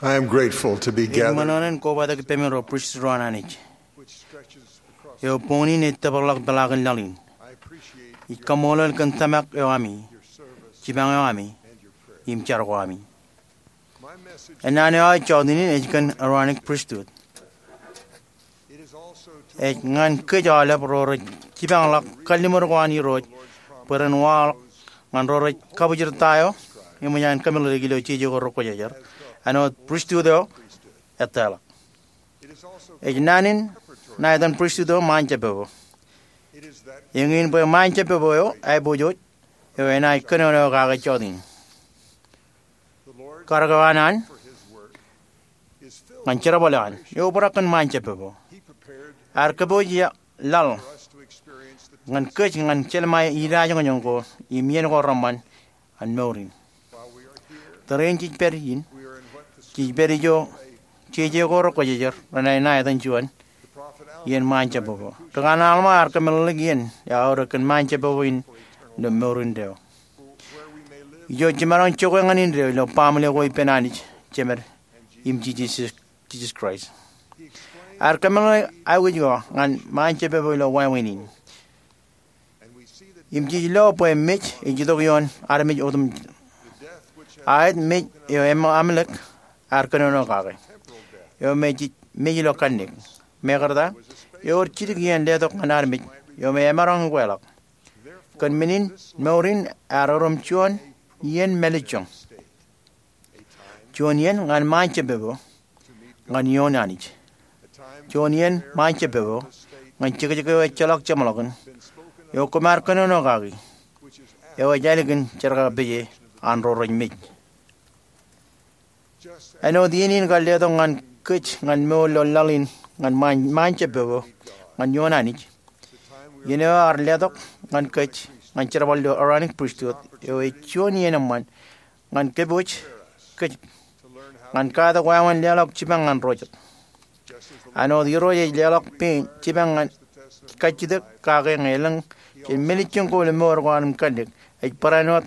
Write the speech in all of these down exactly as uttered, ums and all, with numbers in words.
I am grateful to be gathered. Ij ṃōṇōṇō in kobatok ippemi ro pristut ro an Anij. Eo boñōn in ej tōparḷọk peḷaakin laḷ in. Ij kaṃṃoolol kōn tōmak eo ami, jipañ eo ami, im jar ko ami. Ennaan eo aō jota in ej kōn Aaronic Pristut. Ej ñan kōj aolep ro rej jipañḷọk kalliṃur ko an Irooj bwe ren waḷọk ñan ro rej kabwijirta eo eṃōj an kōmeḷeḷeik ilo jeje ko rekwōjarjar, āinwōt pristut eo eteḷọk. Ej naan in ṇa etan pristut eo ṃaanjeppepo. Eñin bwe ṃaanjeppepo eo aiboojoj eo enaaj kōnono kake jota in. Karōk eo an an ñan jerbal eo an eo obrak kōn ṃaanjeppepo. Ear kōpooj laḷ ñan kōj ñan jelṃae idajoñjoñ ko im iien ko reṃṃan an mour in. Tōre in jej pād in, jej pād ijo jeje ko rekwōjarjar renaaj ṇa etan juon iien ṃaanjeppepo. Ri-kanooj Alma ear kōmeḷeḷeik iien eo aorōk kōn ṃaanjeppepo in ilo mour indeeo. Ijo jemaroñ jokwe ñan indeeo ilo baaṃle ko ippān Anij Jemed im Jisōs, Jisōs Kraist. Ear kōmeḷeḷeik aikuj ko ñan ṃaanjeppepo ilo wāween in. Im jej lo bwe mej ej itok ioon armej otemjej. Aet mej eo Amalek ear kōnono kake, eo me ej mej ilo kanniōk. Mekarta, ewōr jidik iien letok ñan armej eo me emaroñ ukweḷọk. Kōn men in, mour in ear erom juon iien mālejjoñ. Juon iien ñan ṃaanjeppepo ñan ioon Anij. Juon iien ṃaanjeppepo ñan jekjek eo ejjeḷọk jeṃḷọkin, eo koṃ ar kōnono kaki, eo ej ālikin jerkakpeje an ro rej mej. Āinwōt iien in kar letok ñan kōj ñan mour ilo laḷ in ñan ṃaan, ṃaanjeppepo ñan ioon Anij, iien eo ear letok ñan kōj ñan jerbal ilo Aaronic Pristut, eo ej juon iien eṃṃan ñan kōpooj kōj ñan katak wāween leḷọk jipañ ñan ro jet. Āinwōt Irooj ej leḷọk pein jipañ ñan kajjitōk kake ñe elōñ jān mālejjoñ ko ilo mour ko an im kanniōk, ej barāinwōt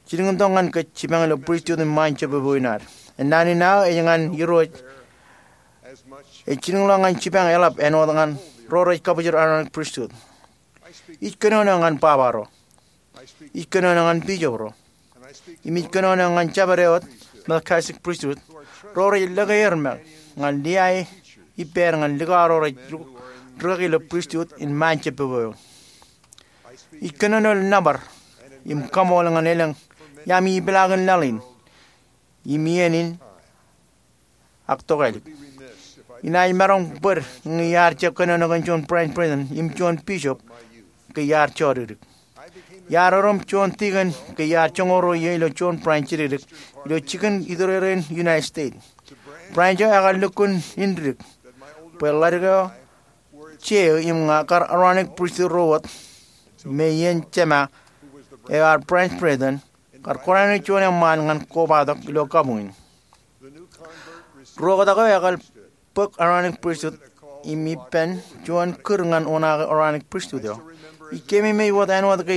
jilkintok ñan kōj jipañ ilo pristut im ṃaanjeppepo in ad. Ennaan in aō ej ñan Irooj ej jilkinḷọk ñan jipañ eḷap āinwōt ñan ro rej kabwijin Aaronic Pristut. Ij kōnono ñan baba ro. Ij kōnono ñan bishop ro. Im ij kōnono ñan jabdewōt Melchizedek Pristut, ro rej lōke er ṃōk ñan liae ippāer ñan likao ro rej rūkaki ilo pristut in ṃaanjeppepo eo. Ij kōnono ilo nōbar im kaṃool ñan elōñ iaami ipeḷaakin laḷ in im iien in ak tokālik. Inaaj maroñ bōd ñe iar jab kōnono kōn juon branch president im juon bishop ke iar jodikdik. Iar erom juon tikōn ke iar joñoul ruo iiō ilo juon branch jidikdik ilo jikin iturere in United States. Branch eo ekar lukkuun indik bwe ḷadik eo jeō im ña kar Aaronic Pristut ro wōt me iien jema eo ear branch president kar kōṇaan juon eṃṃaan ñan kobatok ilo kabuñ in. Ri-oktak eo ekar bōk Aaronic Pristut im ippān juon kūr ñan oṇaake Aaronic Pristut eo. Ij keememej wōt āinwōt ke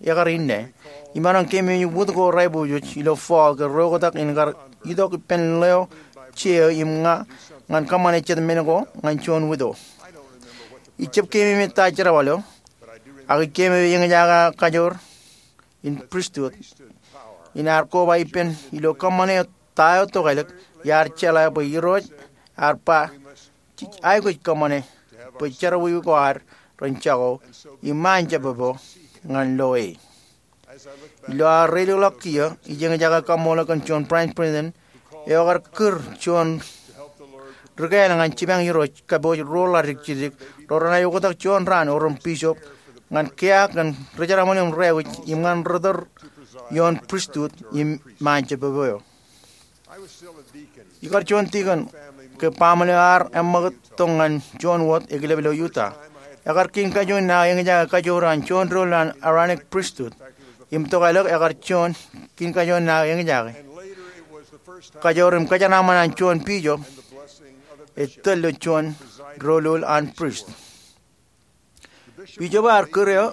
ekar inne. Imaroñ keememej wūt ko raiboojoj ilo fall ke ri-oktak in kar itok ippān ḷeo jeō im ña ñan kōṃṃane jet men ko ñan juon widow. Ij jab keememej ta jerbal eo, ak ij keememej eñjake aō kajoor in pristut in ear koba ippān ilo kōṃṃane ta eo tokālik iar jeḷā bwe Irooj ear ba jej aikuj kōṃṃane bwe jerọwiwi ko ad ren jako im ṃaanjeppepo ñan lo e. Ilo aō reilikḷọk kiiō, ij eñjake kaṃṃoolol kōn juon branch president eo ekar kūr juon ri-kāāl ñan jipañ Irooj kōpooj ruo ḷadik jidikdik ro renaaj oktak juon raan erom bishop ñan kiiō kōn ri-jerbal im ri-aikuj im ñan ri-tōl ioon pristut im ṃaanjeppepo eo. Ikar juon tikōn ke baaṃle eo ar eṃṃakūt tok ñan juon wōt ekilep ilo Utah. Ekar kiin kajoor in aō eñjake kajoor an juon doulul an Aaronic Pristut. Im tokālik ekar juon kiin kajoor in aō eñjake kajoor im kōjeraaṃṃan an juon bishop etōl ilo juon doulul an prist. Bishop eo ear kūr eō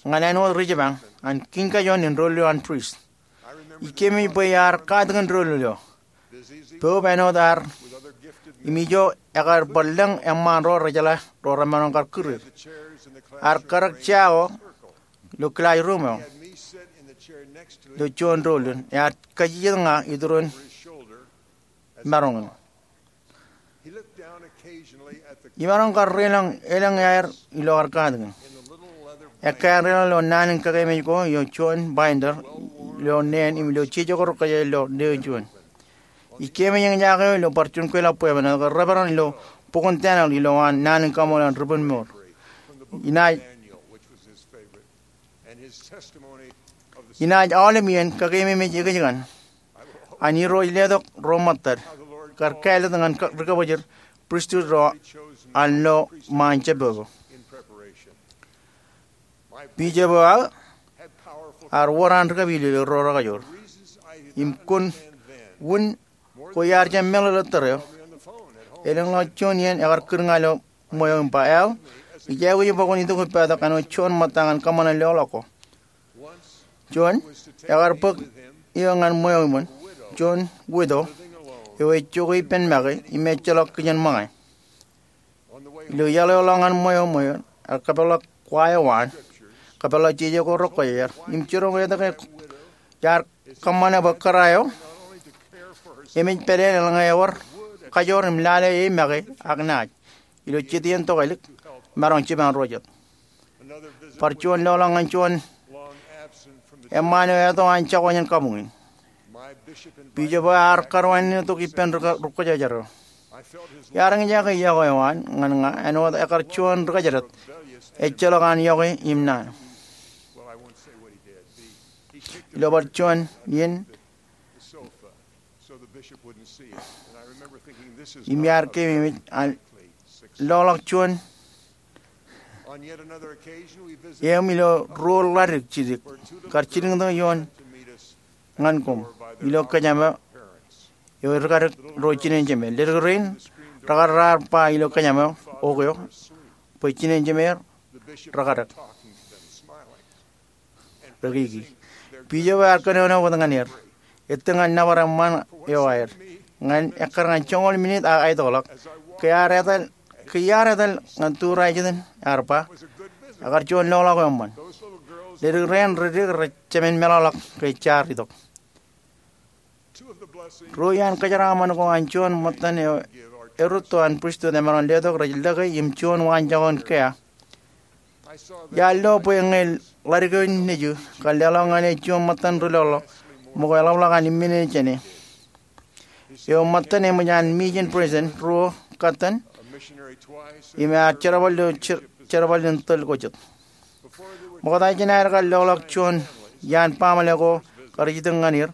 ñan āinwōt ri-jipañ an kiin kajoor in doulul an prist. Ij keememej bwe iar katakin doulul eo. Poub āinwōt ear im ijo ekar bar lōñ eṃṃaan ro rejeḷā ro remaroñ kar kūr er. Ear karōk jea eo ilo kilaajruum eo ilo juon doulin, ear kajjitōk ña iturin maroñ in. Imaroñ kar reiḷọk elōñ aer ilo ear katakin. Ekkā en reiḷọk ilo naan in kakememej ko ilo juon binder ilo neen im ilo jeje ko rekwōjarjar ilo neen juon. Ij keememej eñjake eo ilo bar juon kweilọk bwebwenato ke reperan ilo bok in Daniel ilo an naan in kaṃṃoolol an ri-bōnmour. Inaaj Inaaj aolep iien kakememej ekōjkan an Irooj letok ro ṃōttad kar kāālōt ñan ri-kabōjir pristut ro an lo ṃaan jab eo. Bishop eo aō ear wōr an ri-kapilōk ro rekajoor. Im kōn wūn ko iar jab meḷeḷe tōre eo, elōñḷọk juon iien ekar kūr ña ilo ṃweo im ba, Al, ij aikuj bwe kwōn itok ippātok āinwōt juon ṃōtta ñan kōṃṃane loḷọk ko. Juon, ekar bōk eō ñan ṃweo iṃōn, juon widow eo ej jokwe ippān make im ejjeḷọk kijenṃōñā. Ilo iaḷ eo ḷọk ñan ṃweo, ṃweo ear kōpeḷḷọk wa eo an, kōpeḷḷọk jeje ko rekwōjarjar im jiroñ etke iar kōṃṃane bwe kōrā eo emej pāleen eḷaññe ewōr kajoor im lale e make ak naaj ilo jet iien tokālik, maroñ jipañ ro jet. Bar juon loḷọk ñan juon eṃṃaan eo eto an jako jān kabuñ in. Bishop eo ear karuwainene tok ippān ri-kwōjarjar eo. Iar eñjake yokwe eo an ñan ña āinwōt ekar juon ri-kōjdat ejjeḷọk an yokwe im naan. Ilo bar juon iien im iar keememej an loḷọk juon eō im ilo ruo ḷadik jidik kar jilkintok ioon ñan koṃ ilo kōjām eo eo ri-kadik ro jinōn jemāer. Ledik rein rekar raar ba ilo kōjām eo, okio, bwe jinōn jemāer rekadik. Rekiki. Bishop eo ear kōnono wōt ñan er. Ettōr ñan nōbar eṃṃaan eo aer. Ñan ekkar ñan joñoul minit ak aetokḷọk, ke iar etal, ke iar etal ñan turajet in, ear ba, Ekar juon loḷọk eo eṃṃan. Ledik rein redik rej jemān meḷọkḷọk ke jaar itok. Ruo iaan kōjeraaṃṃan ko an juon ṃōttan eo erūtto an pristut emaroñ letok rej lōke im juon waanjọ in kea. Iar lo bwe ñe ḷadik eo nejū kar leḷọk ñan e juon ṃōttan ri-loḷọk ṃōko eḷapḷọk an imminene jāne. Eo ṃōttan eṃōj an mission president ruo katten im ear jerbal ilo jer-, jerbal in tōl ko jet. Ṃokta jān aer kar loḷọk juon iaan baaṃle ko kar itok ñan er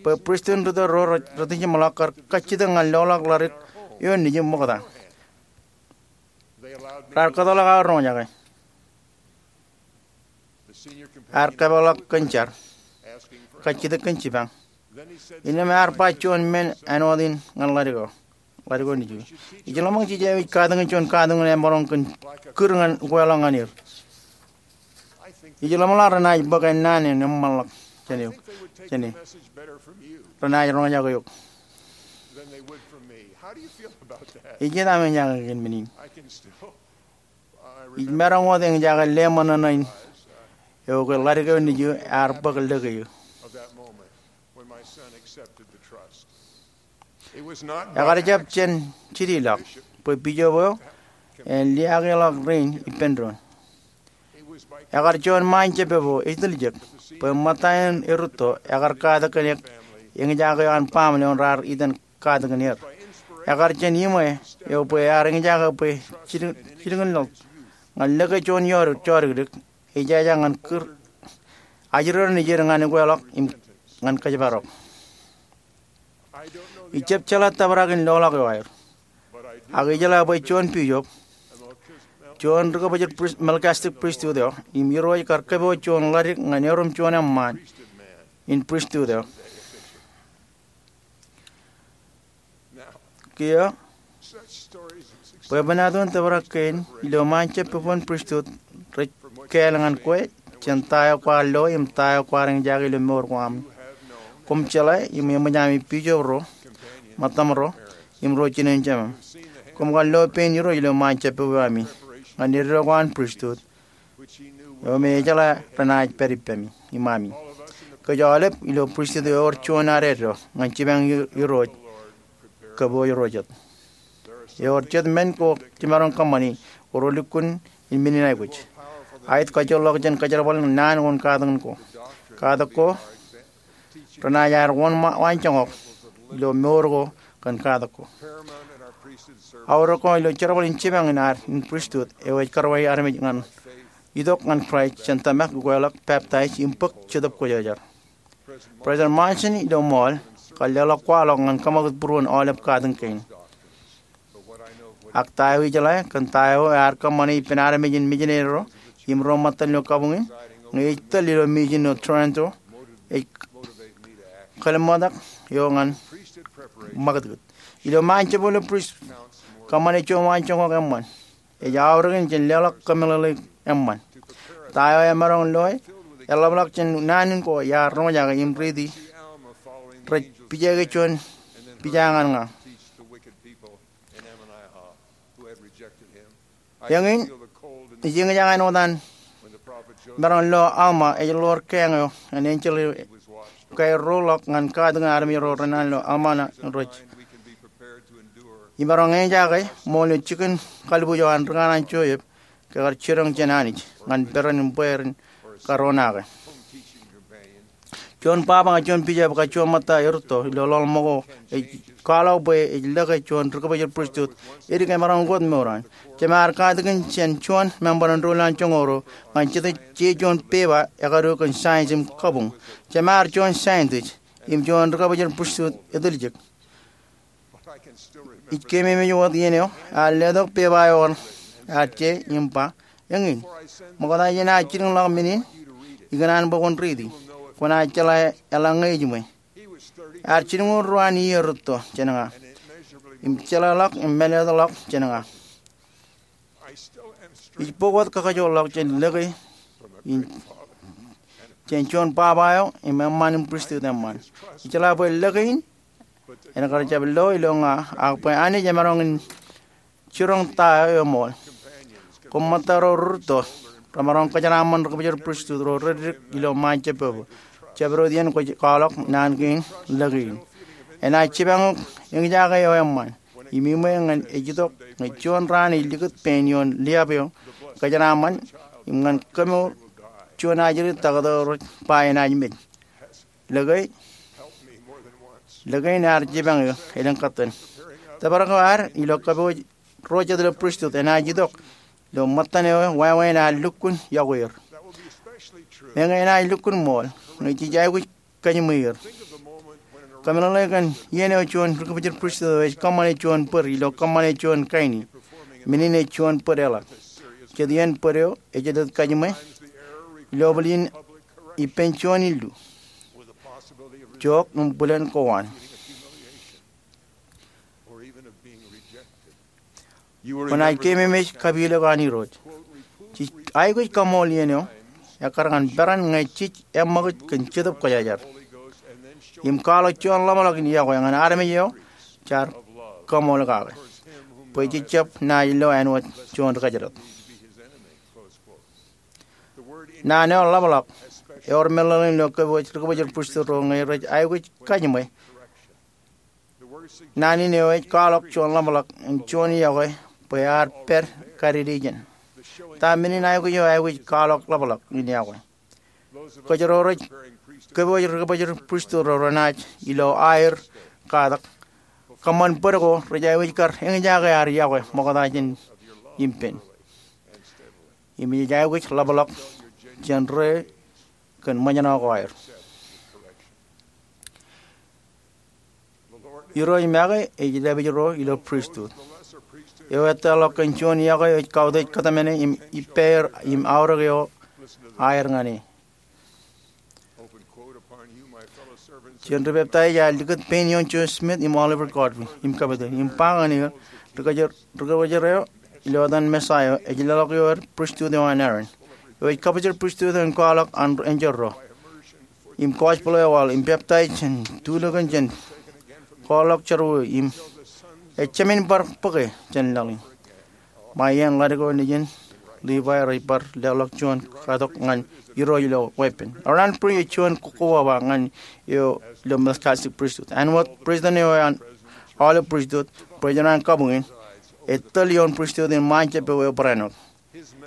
bwe pristut in rūtto ro rej rot ijeṃḷọk kar kajjitōk ñan loḷọk ḷadik eo nejū ṃokta. Raar kōtḷọk aō roñjake. Ear kōpeḷḷọk kōn jar, kajjitōk kōn jipañ. Innām ear ba juon men āinwōt in ñan ḷadik eo. Ḷadik eo nejū. Ij ḷōmṇak jej aikuj katakin juon katakin emaroñ kōn kūr ñan ukweḷọk ñan er. Ij ḷōmṇak renaaj bōk ennaan in eṃṃanḷọk jān eok, jān e. Renaaj roñjake eok. Ijjitōk aṃ eñjake kōn men in. Ij maroñ wōt eñjake leṃōṇōṇō in eo ke ḷadik eo nejū ear bōk lōke eō. Ekar jab jān jidiḷọk bwe bishop eo en liaakḷọk rein ippān doon. Ekar juon ṃaan jab eo etiljek bwe ṃōttan in erūtto ekar katakin eñjake eo an baaṃle eo raar itōn katakin er. Ekar jān iṃwe eo bwe ear eñjake bwe jilkin, jilkinḷọk ñan lōke juon jọdikdik, ejājā ñan kūr ajri ro nejier ñan ukweḷọk im ñan kōjparok. Ij jab jeḷā tōprak in loḷọk eo aer. Ak ijeḷā bwe juon bishop, juon ri-kabōjir pris-, Melchizedek pristut eo, im Irooj kar kōpooj juon ḷadik ñan erom juon eṃṃaan in pristut eo. Kiiō, bwebwenato in tōprak kein ilo ṃaan jab bwebwenato in pristut rej kāāl ñan kwe jān ta eo kwaar lo im ta eo kwaar eñjake ilo mour ko aṃ. Koṃ jeḷā im eṃōj ami bishop ro ṃōttaṃro, im ro jinen Jemem. Koṃ kar lo pein Irooj ilo ṃaan jabdewōt ami ñan eddo ko an pristut eo me ejeḷā renaaj pād ippemi im ami. Kōj aolep ilo pristut ewōr juon ad eddo ñan jipañ Irooj kōpooj ro jet. Ewōr jet men ko jemaroñ kōṃṃani ko relukkuun in men in aikuj. Aet kajoorḷọk jān kōjerbal naan ko im katak ko. Katak ko renaaj ad wōn waanjoñak ilo mour ko kōn katak ko. Aorōk ko ilo jerbal in jipañ in ad in pristut eo ej karwaiwi armej ñan itok ñan Kraist jān tōmak, ukweḷọk, peptaij im bōk Jetōb Kwōjarjar. President Monson ilo ṃool kar leḷọk kwaḷọk ñan kōṃakūt būruon aolep katak kein. Ak ta eo ijeḷā kōn ta eo ear kōṃṃane ippān armej in mijineri ro im ro ṃōttan ilo kabuñ in, ñe ij tōl ilo mijin eo Toronto, ej kōḷmānḷọk eo ñan ṃakūtkūt. Ilo ṃaan jabdewōt ilo pristut, kōṃṃane juon waanjoñak eṃṃan ej aorōkin jān leḷọk kōmeḷeḷeik eṃṃan. Ta eo emaroñ loe eḷapḷọk jān naan in ko iar roñjake im riiti rej pijeke juon pija ñan ña. Eñin, ij eñjake āinwōt an maroñ lo Alma ej ḷoor kāāñ eo an enjeḷ eo ekaerroḷọk ñan katakin armej ro renana ilo Alma rej imaroñ eñjake ṃool eo jikin kalbuuj eo an rūkanaan Joseph ke kar jiroñ jān Anij ñan peran im bwe ren karonaake. Juon baba ñan juon bishop kab juon ṃōtta erūtto ilo ḷōḷ ṃōko ej kwaḷọk bwe ej lōke juon ri-kōbōjel pristut edik emaroñ ukot mour an. Jemaar katakin jān juon member in doulul an joñoul ruo ñan jete jej juon pepa ekaduwe kōn science im kabuñ. Jemaar juon scientist im juon ri-kōbōjel pristut etiljek. Ij keememej wōt iien eo ear letok pepa eo ear je im ba, eñin, ṃokta jān aō jilkinḷọk men in, ikōṇaan bwe kwōn riiti, kwōnaaj jeḷā eḷaññe ejiṃwe. Ear jilñuul ruo an iiō rūtto jān ña im jeḷāḷọk im mālōtlōtḷọk jān ña. Ij bōk wōt kakajoorḷọk jān lōke in jān juon baba eo im eṃṃaan in pristut eṃṃaan. Ijeḷā bwe lōke in en kar jab lo ilo ña, ak bwe Anij emaroñ in jiroñ ta eo eṃool. Koṃ ṃōtta ro rūtto remaroñ kōjeraaṃṃan ri-kōbōjel pristut ro reddik ilo ṃaan jabdewōt. Jabdewōt iien kwōj kwaḷọk naan kein lōke in. Enaaj jipañ eok eñjake eo eṃṃan im iṃwe ñan ej itok ñe juon raan ej likūt pein ioon liab eo kōjeraaṃṃan im ñan kemour juon ajri taktō rej ba enaaj mej. Lōke, lōke in ear jipañ eō elōñ kōttan. Tōprak eo ad ilo kōpooj ro jet ilo pristut enaaj itok ilo ṃōttan eo wāween ad lukkuun iọkwe er. Meñe enaaj lukkuun ṃool ñe jej aikuj kajiṃwe er. Kōmeḷeḷe kōn iien eo juon ri-kōbōjel pristut eo ej kōṃṃane juon bōd ilo kōṃṃane juon kaini. Men in ej juon bōd eḷap. Jet iien bōd eo ej jelōt kajiṃwe ilo bōd in ippān juon illu, jook im bwilōn kowaan. Kwōnaaj keememej kapilōk an Irooj. Jej aikuj kaṃool iien eo ekkar ñan peran ñe jej eṃṃakūt kōn Jetōb Kwōjarjar im kwaḷọk juon ḷapḷọk in iọkwe ñan armej eo jaar kaṃool kake bwe jej jab naaj lo āinwōt juon rikōjdat. Naan eo ḷapḷọk ewōr meḷeḷein ilo kōpooj ri-kōbōjel pristut ro ñe rej aikuj kajiṃwe. Naan in eo ej kwaḷọk juon ḷapḷọk im juon iọkwe bwe ear pād kadede ijin. Ta men in aikuj eo aikuj kwaḷọk ḷapḷọk in iọkwe? Kōj ro rej kōpooj ri-kōbōjel pristut ro renaaj ilo aer katak kōṃṃan bōd ko rej aikuj kar eñjake ad iọkwe ṃokta jān im pen. Im jej aikuj ḷapḷọk jān ri kōn ṃōjṇọ ko aer. Irooj make ej dāpij ro ilo pristut eo ettā ḷọk kōn juon iọkwe eo ej kautiej kōtmāne im ippāer im aorōk eo aer ñan e. Jen ri-peptaij ear likūt pein ioon Joseph Smith im Oliver Cowdery im kapite im ba ñan er, ri-kōjro eo ilo etan Messiah eo ej leḷọk eō er pristut eo an Aaron eo ej kabujar pristut eo en kwaḷọk an enjeḷ ro im gospel eo ewaḷ im peptaij jān tulikin jān kwaḷọk jerọwiwi im ejāmin bar bōke jān laḷ in. Ṃae iien ḷadik eo nejin, Livai rej bar leḷọk juon katok ñan Irooj ilo weeppān. Eor an Briggs ej juon kokkobaba ñan eo ilo Melchizedek Priesthood. Āinwōt president eo an aolep priesthood, president an kabuñ in, ej tōl ioon priesthood in ṃaanjab eo eobōran wōt.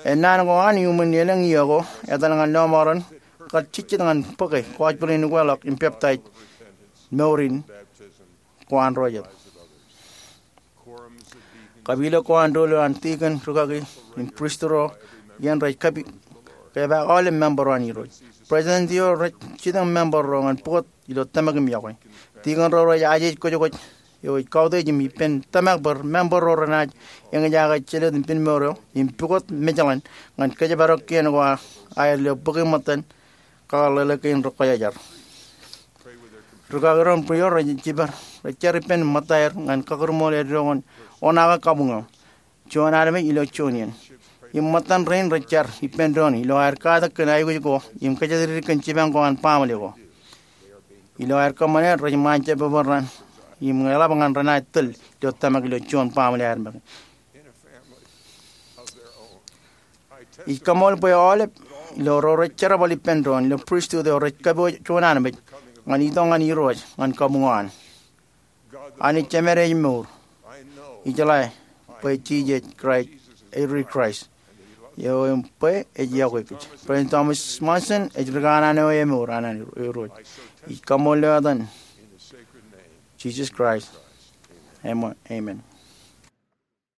Ennaan ko an iuṃwin elōñ iiō ko etal ñan lọmọọren kar jejjet ñan bōke gospel in ukeḷọk im peptaij mour in ko an ro jet. Kapilōk ko an doulul an tikōn, rūkaki im priest ro iien rej kab kepaak aolep member ro an Irooj. President eo rej jitōñ member ro ñan pukot ilo tōmak im iọkwe. Tikōn ro rej ajej kwōjkwōj eo ej kautiej im ippān tōmak bwe member ro renaaj eñjake jelōt im pinemour eo im pukot mejaḷan ñan kōjparok kien ko aer ilo bōke ṃōttan kakōḷḷe kein rekwōjarjar. Rūkaki ro im bwij ro rej jibar, rej jar ippān ṃōttaer ñan kakūrṃool eddo ko an oṇaake kabuñ eo, juon armej ilo juon iien. Im ṃōttan rein rej jar ippān doon ilo aer katak kōn aikuj ko im kōjatdikdik kōn jipañ ko an baaṃle ko. Ilo aer kōṃṃane, rej ṃaanjab bwe ren im eḷap ñan renaaj tōl ilo tōmak ilo juon baaṃle aer make. Ij kaṃool bwe aolep ilo ro rej jerbal ippān doon ilo priesthood eo rej kōpooj juon armej ñan itok ñan Irooj ñan kabuñ eo an. Anij Jemād ej mour. Ijeḷā bwe Jisōs Kraist ej ri Kraist eo im bwe ej iọkwe kōj. President Thomas Monson ej rikanaan eo emour an an Irooj. Ij kaṃool ilo etan Jisōs Kraist, amen.